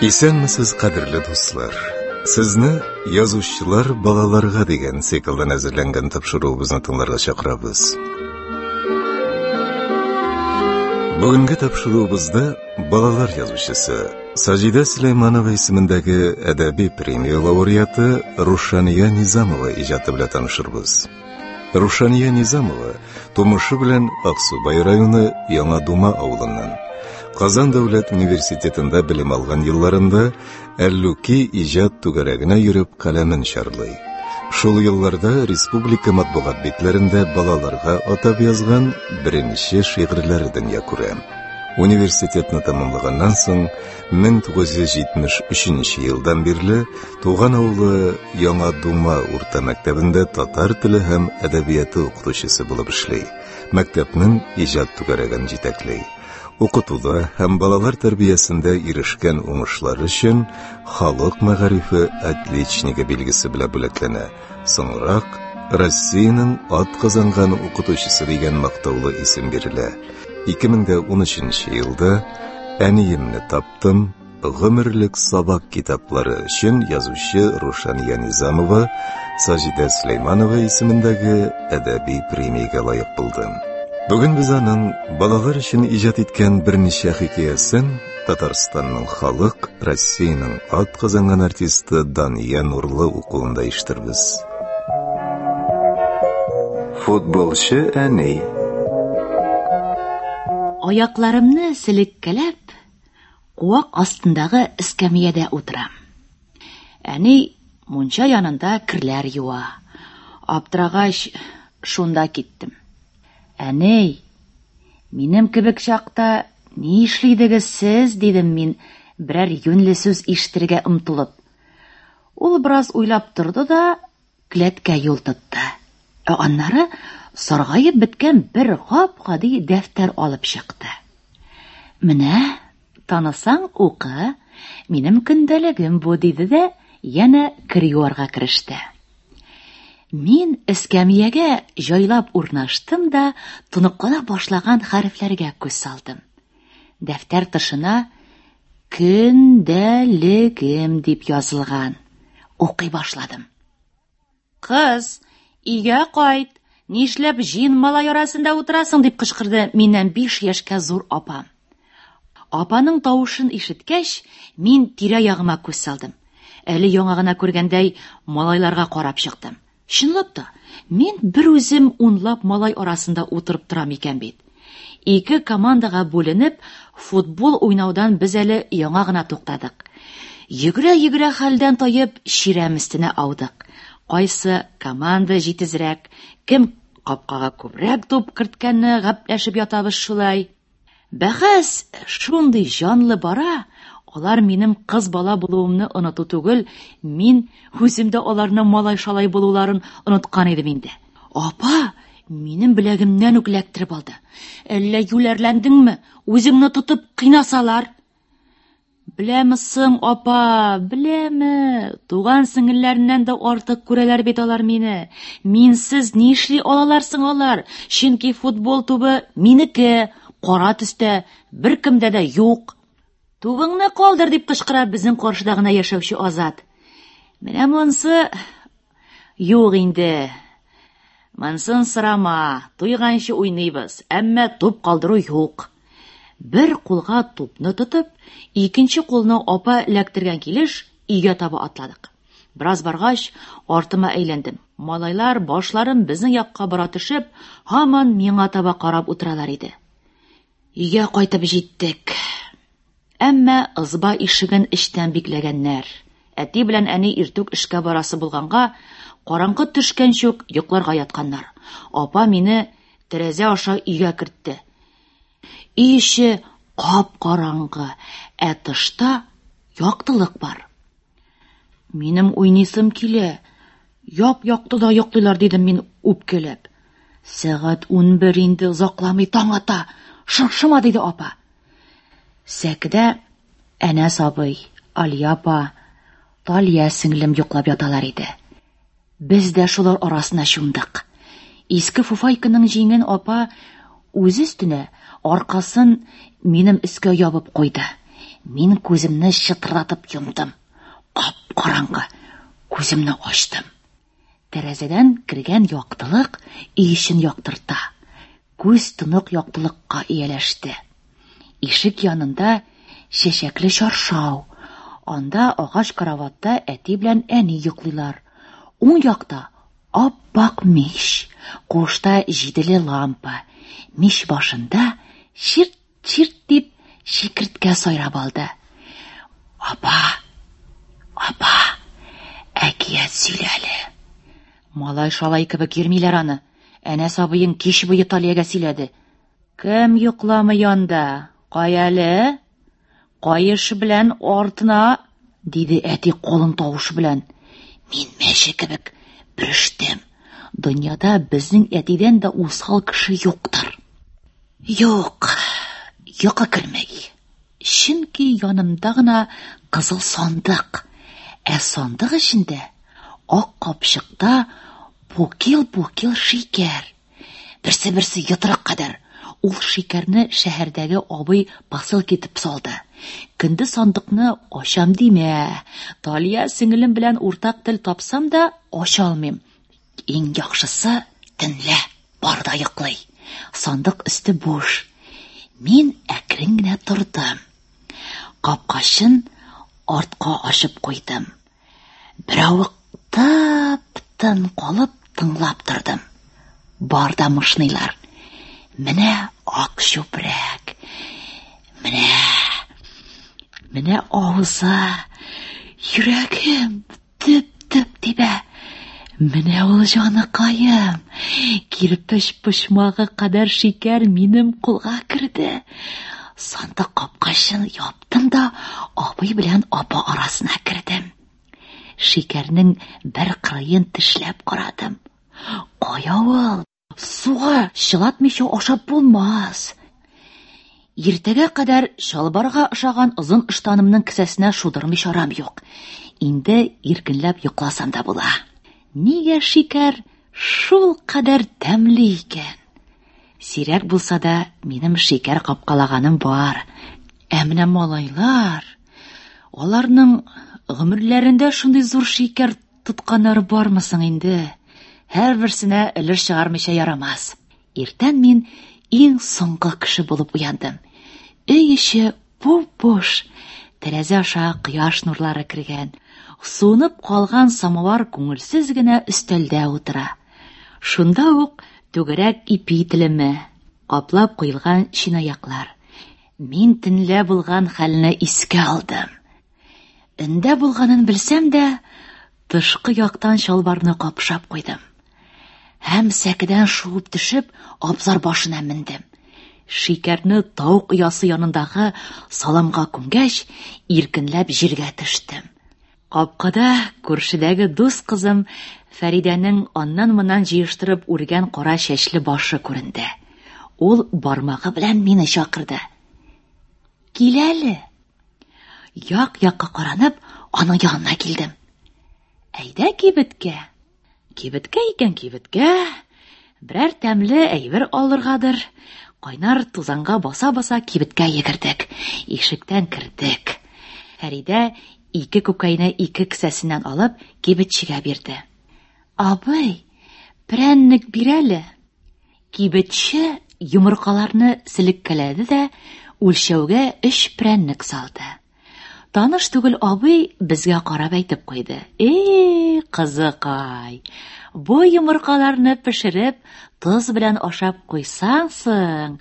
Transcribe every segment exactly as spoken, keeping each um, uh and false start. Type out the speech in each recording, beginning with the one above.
Исәнмесез, кадерле дуслар! Сезне «Язучылар балаларга» дигән циклдан әзерләнгән тапшыруыбызны тыңларга чакырабыз. Бүгенге тапшыруыбызда балалар язучысы Саҗидә Сөләйманова исемендәге әдәби премия лауреаты Рушания Низамова иҗаты белән танышырбыз. Рушания Низамова тумышы белән Аксубай районы Яңа Дума авылыннан. Казан дәүләт университетында белем алган елларында Әллүки иҗат түгәрәгенә йөреп каләмен чарлый. Шул елларда республика матбугат битләрендә балаларга атап язган беренче шигырьләре дөнья күрә. Университетны тәмамлаганнан соң мең тугыз йөз җитмеш өченче елдан бирле туган авылы Яңа Дума урта мәктәбендә татар теле һәм әдәбияты укытучысы булып эшли. Мәктәпнең иҗат түгәрәген җитәкли. Укытуда һәм балалар тәрбиясендә ирешкән уңышлар өчен халык мәгарифе отличнигы билгесе белән бүләкләнә. Соңрак Россиянең атказанган укытучысы дигән мактаулы исем бирелә. Ике мең дә унөченче елда Әниемне таптым, гомерлек сабак китаплары өчен язучы Рушания Низамова Саҗидә Сөләйманова исемендәге әдәби премиягә лаек булды. Бүген без аның балалар өчен иҗат иткән берничә хикәясен Татарстанның халык, Россиянең атказанган артисты Дания Нурлы укуында ишетербез. Футболчы әни. Аякларымны селеккәләп, куак астындагы эскәмиядә утырам. Әни мунча янында керләр юа. Аптырагач, шунда киттем. Әни, минем кебек чакта ни эшлидегез сез, дидем мин, берәр юньле сүз ишетергә омтылып. Ул бераз уйлап торды да келәткә юл тотты. Ә аннары саргаеп беткән бер гап-гади дәфтәр алып чыкты. Менә, танысаң укы, минем көндәлегем бу, диде дә янә кер юарга кереште. Мин эскәмиягә җайлап урнаштым да тоныклана башлаган хәрефләргә күз салдым. Дәфтәр тышына көндәлегем дип язылган. Укый башладым. Кыз, өйгә кайт, нишләп җыен малай арасында утырасың, дип кычкырды миннән биш яшькә зур апам. Апаның тавышын ишеткәч, мин тирә-ягыма күз салдым. Әле яңа гына күргәндәй малайларга карап чыктым. Чынлап та, мин бер үзем унлап малай арасында утырып торам икән бит. Ике командага бүленеп, футбол уйнаудан без әле яңа гына туктадык. Йөгерә-йөгерә хәлдән таеп, чирәм өстенә аудык. Кайсы команда җитезрәк, кем капкага күбрәк туп керткәнне гәпләшеп ятабыз шулай. Бәхәс шундый җанлы бара, алар минем кыз бала булуымны оныту түгел, мин үзем дә аларның малай-шалай булуларын оныткан идем инде. Апа минем беләгемнән үк эләктереп алды. Әллә юләрләндеңме? Үзеңне тотып кыйнасалар. Беләме соң, апа, беләме? Туган сеңелләреннән дә артык күрәләр бит алар мине. Минсез нишли алалар соң алар? Чөнки футбол тубы минеке, кара төстә, беркемдә дә юк. Тубыңны калдыр, дип кычкыра безнең каршыда гына яшәүче Азат. Менә монсы юк инде. Монсын сорама, туйганчы уйныйбыз, әмма туп калдыру юк. Бер кулга тупны тотып, икенче кулны апа эләктергән килеш өйгә таба атладык. Бераз баргач, артыма әйләндем. Малайлар башларын безнең якка бора төшеп, һаман миңа таба карап утыралар иде. Өйгә кайтып җиттек. Әмма ызба ишеген эчтән бикләгәннәр. Әти белән әни иртүк эшкә барасы булганга, караңгы төшкәнче үк йокларга ятканнар. Апа мине тәрәзә аша өйгә кертте. Өй эче кап-караңгы, ә тышта яктылык бар. Минем уйныйсым килә. Яп-яктыда йоклыйлар, дидем мин үпкәләп. Сәгать унбер инде, озакламый таң ата. Шыңшыма, диде апа. Сәкедә Әнәс абый, Алия апа, Талия сеңлем йоклап яталар иде. Без дә шулар арасына чумдык. Иске фуфайканың җиңен апа үзе өстенә, аркасын минем өскә ябып куйды. Мин күземне чытырдатып йомдым. Кап-караңгы. Күземне ачтым. Тәрәзәдән кергән яктылык өй эчен яктырта. Күз тонык яктылыкка ияләште. Ишек янында чәчәкле чаршау. Анда агач караватта әти белән әни йоклыйлар. Уң якта ап-ак мич, куышта җиделе лампа. Мич башында чирт-чирт дип чикерткә сайрап алды. Апа, апа, әкият сөйлә әле. Малай-шалай кебек йөрмиләр аны. Әнәс абыең кич буе Талиягә сөйләде. Кем йокламый анда? Кая әле? Каеш белән артына, диде әти калын тавыш белән. Мин мәче кебек бөрештем. Дөньяда безнең әтидән дә усал кеше юктыр. Юк, йокы керми. Чөнки янымда гына кызыл сандык. Ә сандык эчендә ак капчыкта букил-букил шикәр. Берсе-берсе йодрык кадәр. Ул шикәрне шәһәрдәге абый посылка итеп салды. Көндез сандыкны ачам димә. Талия сеңелем белән уртак тел тапсам да ача алмыйм. Иң яхшысы төнлә бар да йоклый. Сандык өсте буш. Мин әкрен генә тордым. Капкачын артка ачып куйдым. Беравык тып-тын калып тыңлап тордым. Бар да мышныйлар. Менә ак чүпрәк. Менә, менә авызы. Йөрәгем дөп-дөп тибә. Менә ул җаныкаем. Кирпеч почмагы кадәр шикәр минем кулга керде. Сандык капкачын яптым да абый белән апа арасына кердем. Шикәрнең бер кырыен тешләп карадым. Кая ул? Суга чылатмыйча ашап булмас. Иртәгә кадәр чалбарга ошаган озын ыштанымның кесәсенә шудырмый чарам юк. Инде иркенләп йокласам да була. Нигә шикәр шул кадәр тәмле икән? Сирәк булса да минем шикәр капкалаганым бар. Ә менә малайлар, аларның гомерләрендә шундый зур шикәр тотканнары бармы соң инде? Һәрберсенә өлеш чыгармыйча ярамас. Иртән мин иң соңгы кеше булып уяндым. Өй эче буп-буш. Тәрәзә аша кояш нурлары кергән. Суынып калган самовар күңелсез генә өстәлдә утыра. Шунда ук түгәрәк ипи телеме, каплап куелган чынаяклар. Мин төнлә булган хәлне искә алдым. Өндә булганын белсәм дә, тышкы яктан чалбарны капшап куйдым. Һәм сәкедән шуып төшеп, абзар башына мендем. Шикәрне тавык оясы янындагы саламга күмгәч, иркенләп җиргә төштем. Капкада күршедәге дус кызым Фәридәнең аннан-моннан җыештырып үргән кара чәчле башы күренде. Ул бармагы белән мине чакырды. Кил әле. Як-якка каранып, аның янына килдем. Әйдә кибеткә. Кибеткә икән кибеткә. Берәр тәмле әйбер алыргадыр. Кайнар тузанга баса-баса кибеткә йөгердек. Ишектән кердек. Фәридә ике күкәйне ике кесәсеннән алып кибетчегә бирде. Абый, прәннек бир әле. Кибетче йомыркаларны селеккәләде дә үлчәүгә өч прәннек салды. Таныш түгел абый безгә карап әйтеп куйды. Эй, кызыкай, бу йомыркаларны пешереп, тоз белән ашап куйсаң соң,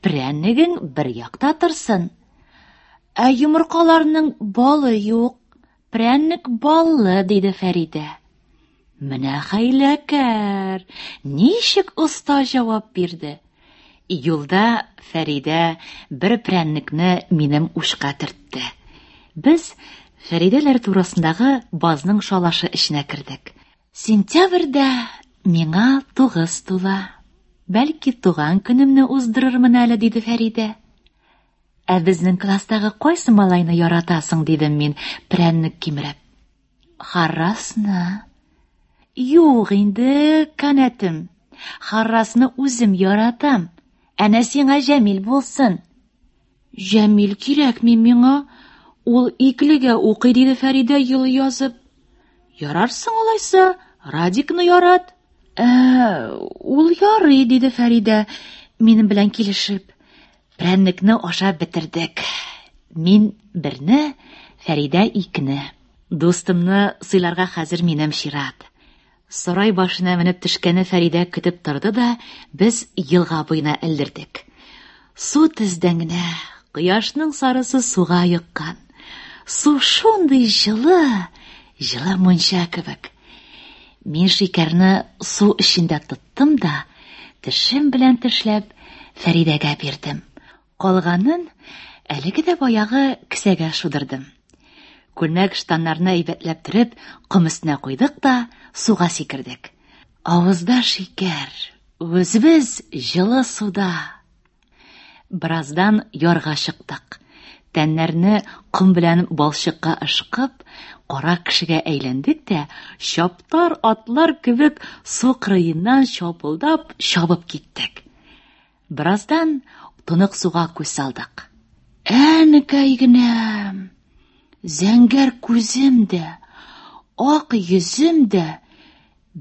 прәннегең бер якта торсын. Ә йомыркаларның балы юк, прәннек баллы, диде Фәридә. Менә хәйләкәр, ничек оста җавап бирде. Юлда Фәридә бер прәннекне минем учка төртте. Без Фәридәләр турасындагы базның шалашы эченә кердек. Сентябрьдә миңа тугыз тула. Бәлки туган көнемне уздырырмын әле, диде Фәридә. Ә безнең класстагы кайсы малайны яратасың, дидем мин, прәннек кимереп. Харрасны. Юк инде, канәтем. Харрасны үзем яратам. Әнә сиңа Җәмил булсын. Җәмил кирәкми миңа. Ул иклегә укый, диде Фәридә елый язып. Ярарсың алайса, Радикны ярат. Ә, ул ярый, диде Фәридә, минем белән килешеп. Прәннекне ашап бетердек. Мин берне, Фәридә икене. Дустымны сыйларга хәзер минем чират. Сарай башына менеп төшкәне Фәридә көтеп торды да, без елга буена элдердек. Су тездән генә, кояшның сарысы суга йоккан. Су шундый җылы, җылы мунча кебек. Мин шикәрне су эчендә тоттым да, тешем белән тешләп, Фәридәгә бирдем. Калганын әлеге дә баягы кесәгә шудырдым. Күлмәк штаннарны әйбәтләп төреп, ком өстенә куйдык та суга сикердек. Авызда шикәр, үзебез җылы суда. Бераздан ярга чыктык. Тәннәрне ком белән балчыкка ышкып, кара кешегә әйләндек тә, чаптар атлар кебек су кырыеннан чапылдап чабып киттек. Бераздан тонык суга күз салдык. Әнекәй генәм! Зәңгәр күзем дә, ак йөзем дә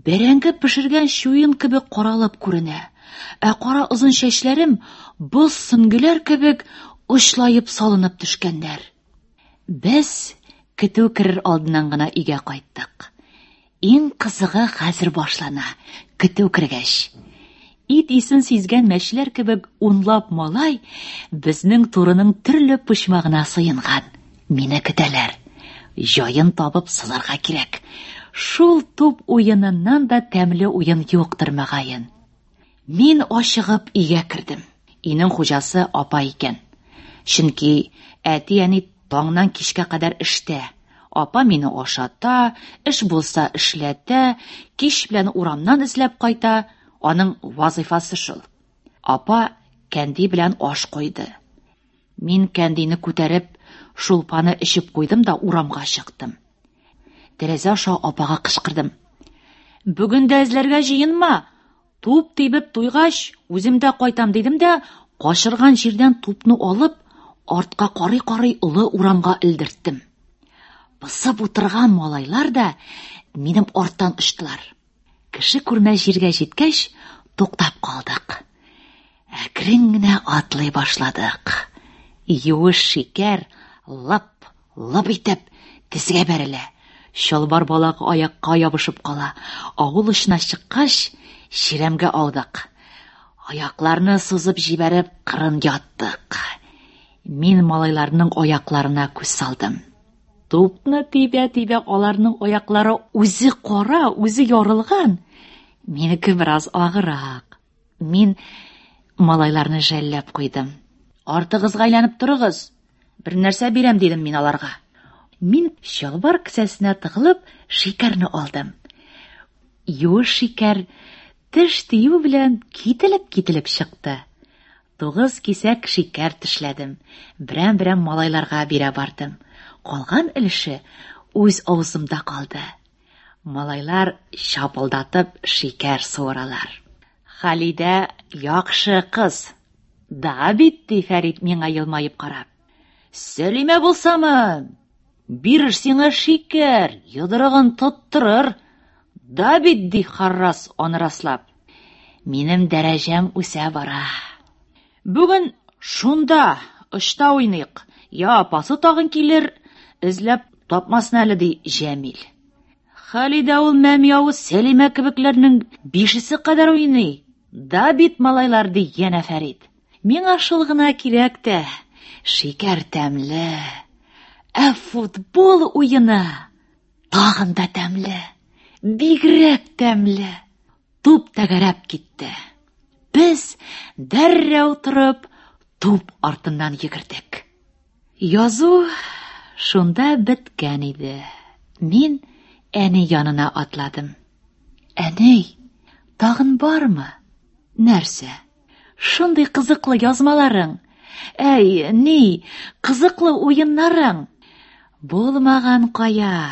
бәрәңге пешергән чуен кебек каралып күренә. Ә кара озын чәчләрем боз сөңгеләр кебек очлаеп салынып төшкәннәр. Без көтү керер алдыннан гына өйгә кайттык. Иң кызыгы хәзер башлана, көтү кергәч. Ит исен сизгән мәчеләр кебек унлап малай безнең турының төрле почмагына сыенган. Мине көтәләр. Җаен табып сызарга кирәк. Шул туп уеныннан да тәмле уен юктыр мөгаен. Мин ашыгып өйгә кердем. Өйнең хуҗасы апа икән. Чөнки әти-әни таңнан кичкә кадәр эштә. Апа мине ашата, эш булса эшләтә, кич белән урамнан эзләп кайта. Аның вазифасы шул. Апа кәнди белән аш куйды. Мин кәндине күтәреп, шулпаны эчеп куйдым да урамга чыктым. Тәрәзә аша апага кычкырдым. Бүген дә эзләргә җыенма. Туп тибеп туйгач, үзем дә кайтам дидем дә, качырган җирдән тупны алып, артка карый-карый олы урамга элдерттем. Пысып утырган малайлар да минем арттан очтылар. Кеше күрмәс җиргә җиткәч, туктап калдык. Әкрен генә атлый башладык. Юеш шикәр лып, лып итеп тезгә бәрелә. Чалбар балагы аякка ябышып кала. Авыл очына чыккач, чирәмгә аудык. Аякларны сузып җибәреп, кырын яттык. Мин малайларның аякларына күз салдым. Тупны тибә-тибә аларның аяклары үзе кара, үзе ярылган. Минеке бераз агырак. Мин малайларны жәлләп куйдым. Артыгызга әйләнеп торыгыз. Бер нәрсә бирәм дидем мин аларга. Мин чалбар кесәсенә тыгылып шикәрне алдым. Юеш шикәр теш тию белән кителеп-кителеп чыкты. Тугыз кисәк шикәр тешләдем. Берәм-берәм малайларга бирә бардым. Калган өлеше үз авызымда калды. Малайлар чапылдатып шикәр суыралар. Халидә яхшы кыз. Да бит, ди Фәрит миңа елмаеп карап. Сәлимә булсамы? Бирер сиңа шикәр, йодрыгын тоттырыр. Да бит, ди Харрас аны раслап. Минем дәрәҗәм үсә бара. Бүген шунда, очта уйныйк. Я апасы тагын килер, эзләп тапмасын әле, ди Җәмил. Халидә ул мәми авыз Сәлимә кебекләрнең бишесе кадәр уйный. Да бит, малайлар, ди янә Фәрит. Миңа шул гына кирәк тә. Шикәр тәмле. Ә футбол уены тагын да тәмле. Бигрәк тәмле. Туп тәгәрәп китте. Без дәррәү торып туп артыннан йөгердек. Язу шунда беткән иде. Мин әни янына атладым. Әни, тагын бармы? Нәрсә? Шундый кызыклы язмаларың. Әй, ни, кызыклы уеннарың. Булмаган кая.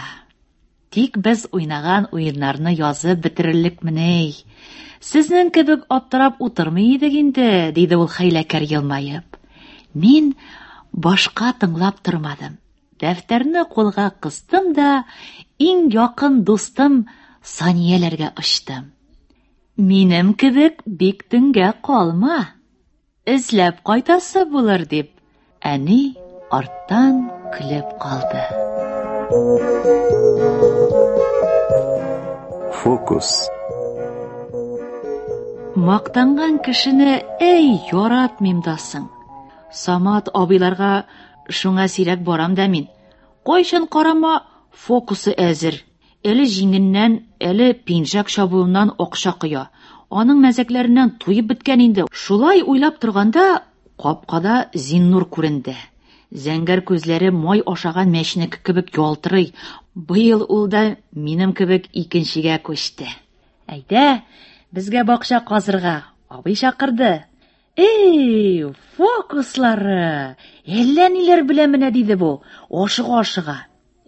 Тик без уйнаган уеннарны язып бетерерлекмени? Сезнең кебек аптырап утырмый идек инде, диде ул хәйләкәр елмаеп. Мин башка тыңлап тормадым. Дәфтәрне кулга кыстым да, иң якын дустым Санияләргә очтым. Минем кебек бик төнгә калма. Эзләп кайтасы булыр дип, әни арттан көлеп калды. Фокус. Мактанган кешене әй яратмыйм да соң. Самат абыйларга шуңа сирәк барам да мин. Кайчан карама, фокусы әзер. Әле җиңеннән, әле пинжәк чабуыннан акча коя. Аның мәзәкләреннән туеп беткән инде. Шулай уйлап торганда, капкада Зиннур күренде. Зәңгәр күзләре май ашаган мәченеке кебек ялтырый. Быел ул да минем кебек икенчегә күчте. Әйдә, безгә бакча казырга. Абый чакырды. Эй, фокуслары! Әллә ниләр белә менә, диде бу, ашыга-ашыга.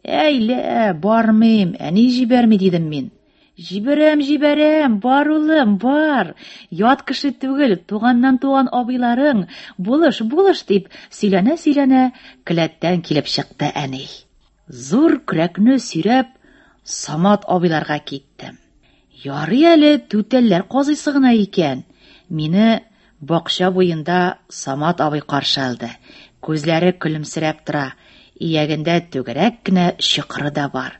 Әй лә, бармыйм, әни җибәрми, дидем мин. Җибәрәм, җибәрәм, бар улым, бар. Ят кеше түгел, туганнан туган абыйларың, булыш, булыш дип сөйләнә-сөйләнә келәттән килеп чыкты әни. Зур көрәкне сөйрәп Самат абыйларга киттем. Ярый әле түтәлләр казыйсы гына икән. Мине бакча буенда Самат абый каршы алды. Күзләре көлемсерәп тора, иягендә түгәрәк кенә чокыры да бар.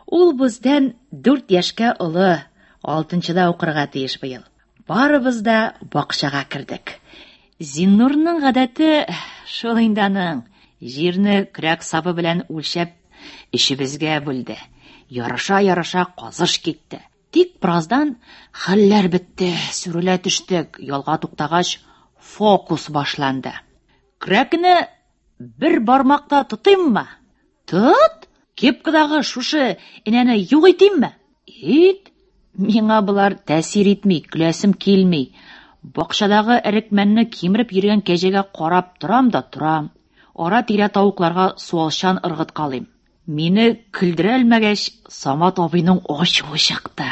Ул бездән дүрт яшькә олы, алтынчыда укырга тиеш быел. Барыбыз да бакчага кердек. Зиннурның гадәте шул инде аның. Җирне көрәк сабы белән үлчәп өчебезгә бүлде. Ярыша-ярыша казыш китте. Тик бераздан хәлләр бетте, сүрелә төштек. Ялга туктагач, фокус башланды. Көрәкне бер бармакта тотыйммы? Тот! Кепкадагы шушы энәне юк итимме? Ит! Миңа болар тәэсир итми, көләсем килми. Бакчадагы әрекмәнне кимереп йөргән кәҗәгә карап торам да торам. Ара-тирә тавыкларга суалчан ыргыткалыйм. Мине көлдерә алмагач, Самат абыйның ачуы чыкты.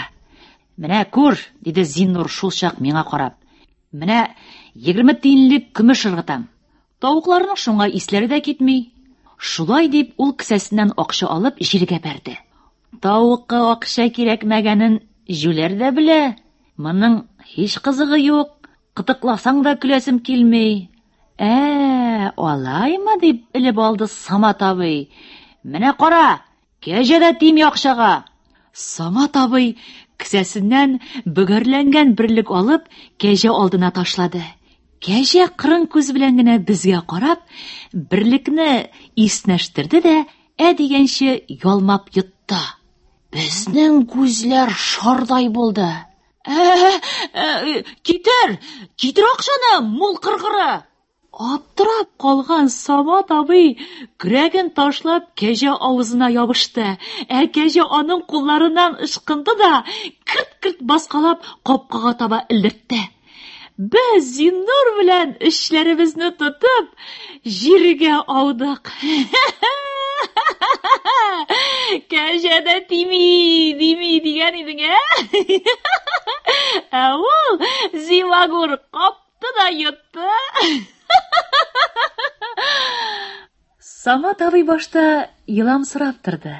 Менә күр, диде Зиннур шул чак миңа карап. Менә егерме тиенлек көмеш ыргытам. Тавыкларның шуңа исләре дә китми. Шулай дип ул кесәсеннән акча алып җиргә бәрде. Тавыкка акча кирәкмәгәнен җүләр дә белә. Моның һич кызыгы юк. Кытыкласаң да көләсем килми. Ә, алаймы дип элеп алды Самат абый. Менә кара, кәҗә дә тими акчага. Самат абый кесәсеннән бөгәрләнгән берлек алып кәҗә алдына ташлады. Кәҗә кырын күз белән генә безгә карап, берлекне иснәштерде дә, ә дигәнче ялмап йотты. Безнең күзләр шардай булды. Ә, ә, китер, китер акчаны, мул кыргыры! Аптырап калган Самат абый көрәген ташлап кәҗә авызына ябышты. Ә кәҗә аның кулларыннан ычкынды да керт-керт баскалап капкага таба элдертте. Без Зиннур белән эшләребезне тотып җиргә аудык. Кәҗә дә тими, дими дигән идең, ә? Ә ул зимагур капты да йотты. Самат абый башта еламсырап торды,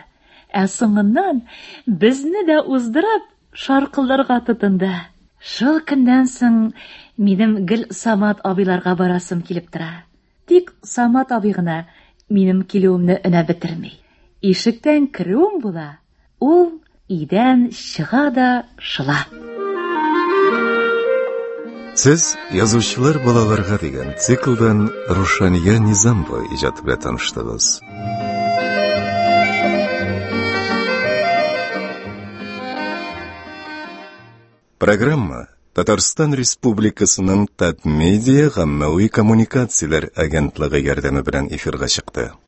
ә соңыннан безне дә уздырып шаркылдарга тотынды. Шул көннән соң минем гел Самат абыйларга барасым килеп тора. Тик Самат абый гына минем килүемне өнәп бетерми. Ишектән керүем була, ул өйдән чыга да шыла. Сез Язучылар балаларга дигән циклдан Рушания Низамова иҗаты белән таныштыгыз. Программа Татарстан Республикасының Татмедиа гаммәви коммуникацияләр агентлыгы ярдәме белән эфирга чыкты.